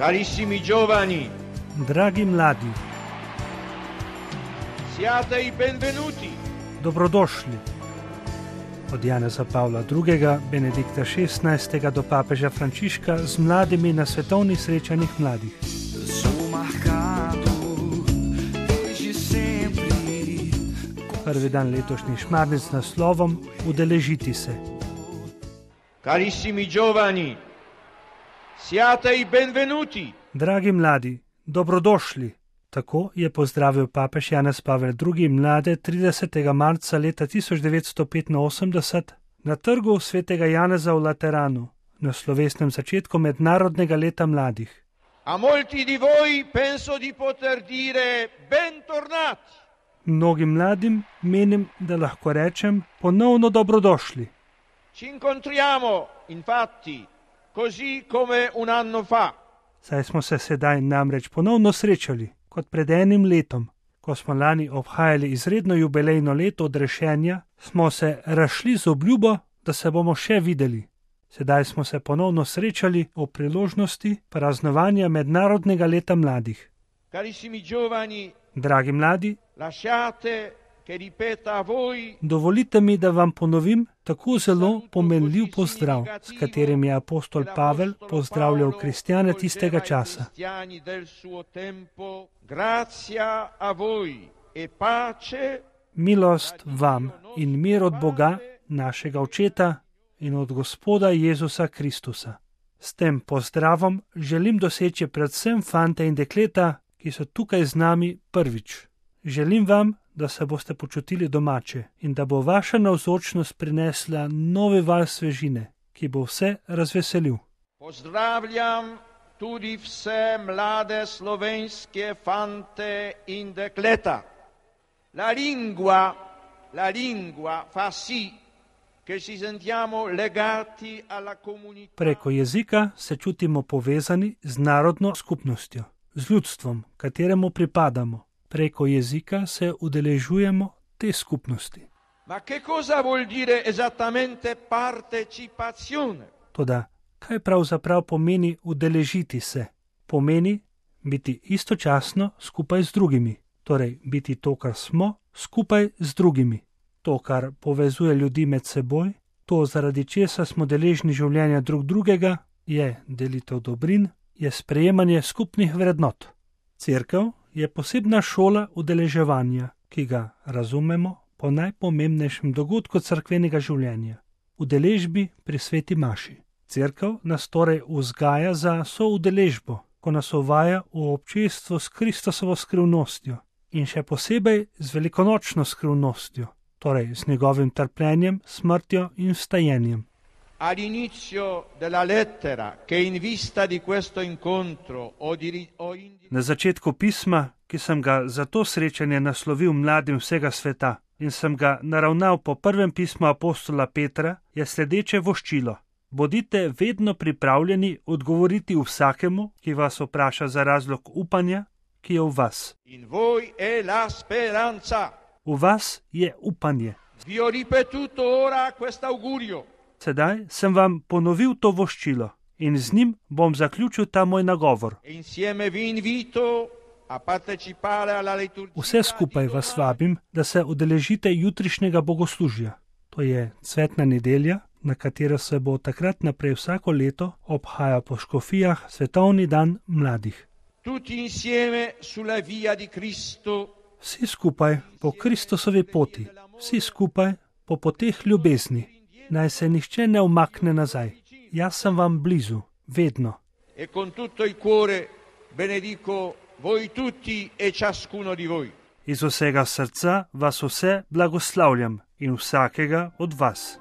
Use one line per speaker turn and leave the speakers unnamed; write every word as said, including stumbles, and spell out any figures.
Carissimi giovani,
Dragi mladi,
siate i benvenuti.
dobrodošli. Od Janeza Pavla drugega, Benedikta šestnajstega do papeža Frančiška z mladimi na svetovnih srečanjih mladih. Prvi dan letošnji šmarnic z naslovom Udeležiti se.
Carissimi giovani, siate i benvenuti.
Dragi mladi, dobrodošli. Tako je pozdravil papež Janez Pavel drugi mlade tridesetega marca leta tisoč devetsto petinosemdeset na trgu svetega Janeza v Lateranu, na slovesnem začetku mednarodnega leta mladih.
A molti di voi penso di poter dire bentornati.
Mnogim mladim menim, da lahko rečem ponovno dobrodošli.
Ci incontriamo, infatti, così come un anno fa.
Saj smo se sedaj namreč ponovno srečali, kot pred enim letom. Ko smo lani obhajali izredno jubilejno leto odrešenja, smo se razšli z obljubo, da se bomo še videli. Sedaj smo se ponovno srečali ob priložnosti praznovanja mednarodnega leta mladih.
Carissimi giovani,
Dragi mladi,
lasciate che ripeta a voi
dovolite mi, da vam ponovim tako zelo pomenljiv pozdrav, s katerim je apostol Pavel pozdravljal kristjane tistega časa.
cristiani del suo tempo. Grazia a voi e pace
Milost vam in mir od Boga, našega Očeta in od Gospoda Jezusa Kristusa. S tem pozdravom želim doseči predvsem fante in dekleta, ki so tukaj z nami prvič. Želim vam, da se boste počutili domače in da bo vaša navzočnost prinesla novi val svežine, ki bo vse razveselil.
Pozdravljam tudi vse mlade slovenske fante in dekleta. La lingua, la lingua fa sì che ci sentiamo legati alla comunità.
Preko jezika se čutimo povezani z narodno skupnostjo, z ljudstvom, kateremu pripadamo. Preko jezika se udeležujemo te skupnosti.
Ma che cosa vuol dire esattamente partecipazione?
Toda, kaj pravzaprav pomeni udeležiti se? Pomeni biti istočasno skupaj z drugimi, torej biti to, kar smo, skupaj z drugimi. To, kar povezuje ljudi med seboj, to, zaradi česa smo deležni življenja drug drugega, je delitev dobrin, je sprejemanje skupnih vrednot. Cerkev je posebna šola udeleževanja, ki ga razumemo po najpomembnejšem dogodku cerkvenega življenja, udeležbi pri sveti maši. Cerkev nas torej vzgaja za soudeležbo, ko nas uvaja v občestvo s Kristusovo skrivnostjo in še posebej z velikonočno skrivnostjo, torej z njegovim trpljenjem, smrtjo in vstajenjem.
All'inizio della lettera, che in vista di questo incontro ho di, ho indi...
Na začetku pisma, ki sem ga za to srečanje naslovil mladim vsega sveta in sem ga naravnal po prvem pismu apostola Petra, je sledeče voščilo. Bodite vedno pripravljeni odgovoriti vsakemu, ki vas vpraša za razlog upanja, ki je v vas.
In voi è la speranza.
V vas je upanje.
Vi ho ripetuto ora quest'augurio.
Sedaj sem vam ponovil to voščilo in z njim bom zaključil ta moj nagovor.
E insieme vi invito a partecipare alla liturgia.
Vse skupaj vas vabim, da se udeležite jutrišnjega bogoslužja. To je cvetna nedelja, na katero se bo takrat naprej vsako leto obhaja po škofijah svetovni dan mladih.
Tutti insieme sulla via di Cristo.
Vsi skupaj po Kristusovi poti, vsi skupaj po poteh ljubezni. Naj se nihče ne umakne nazaj. Jaz sem vam blizu, vedno.
E con tutto il cuore benedico voi tutti e ciascuno di voi.
Iz vsega srca vas vse blagoslavljam in vsakega od vas.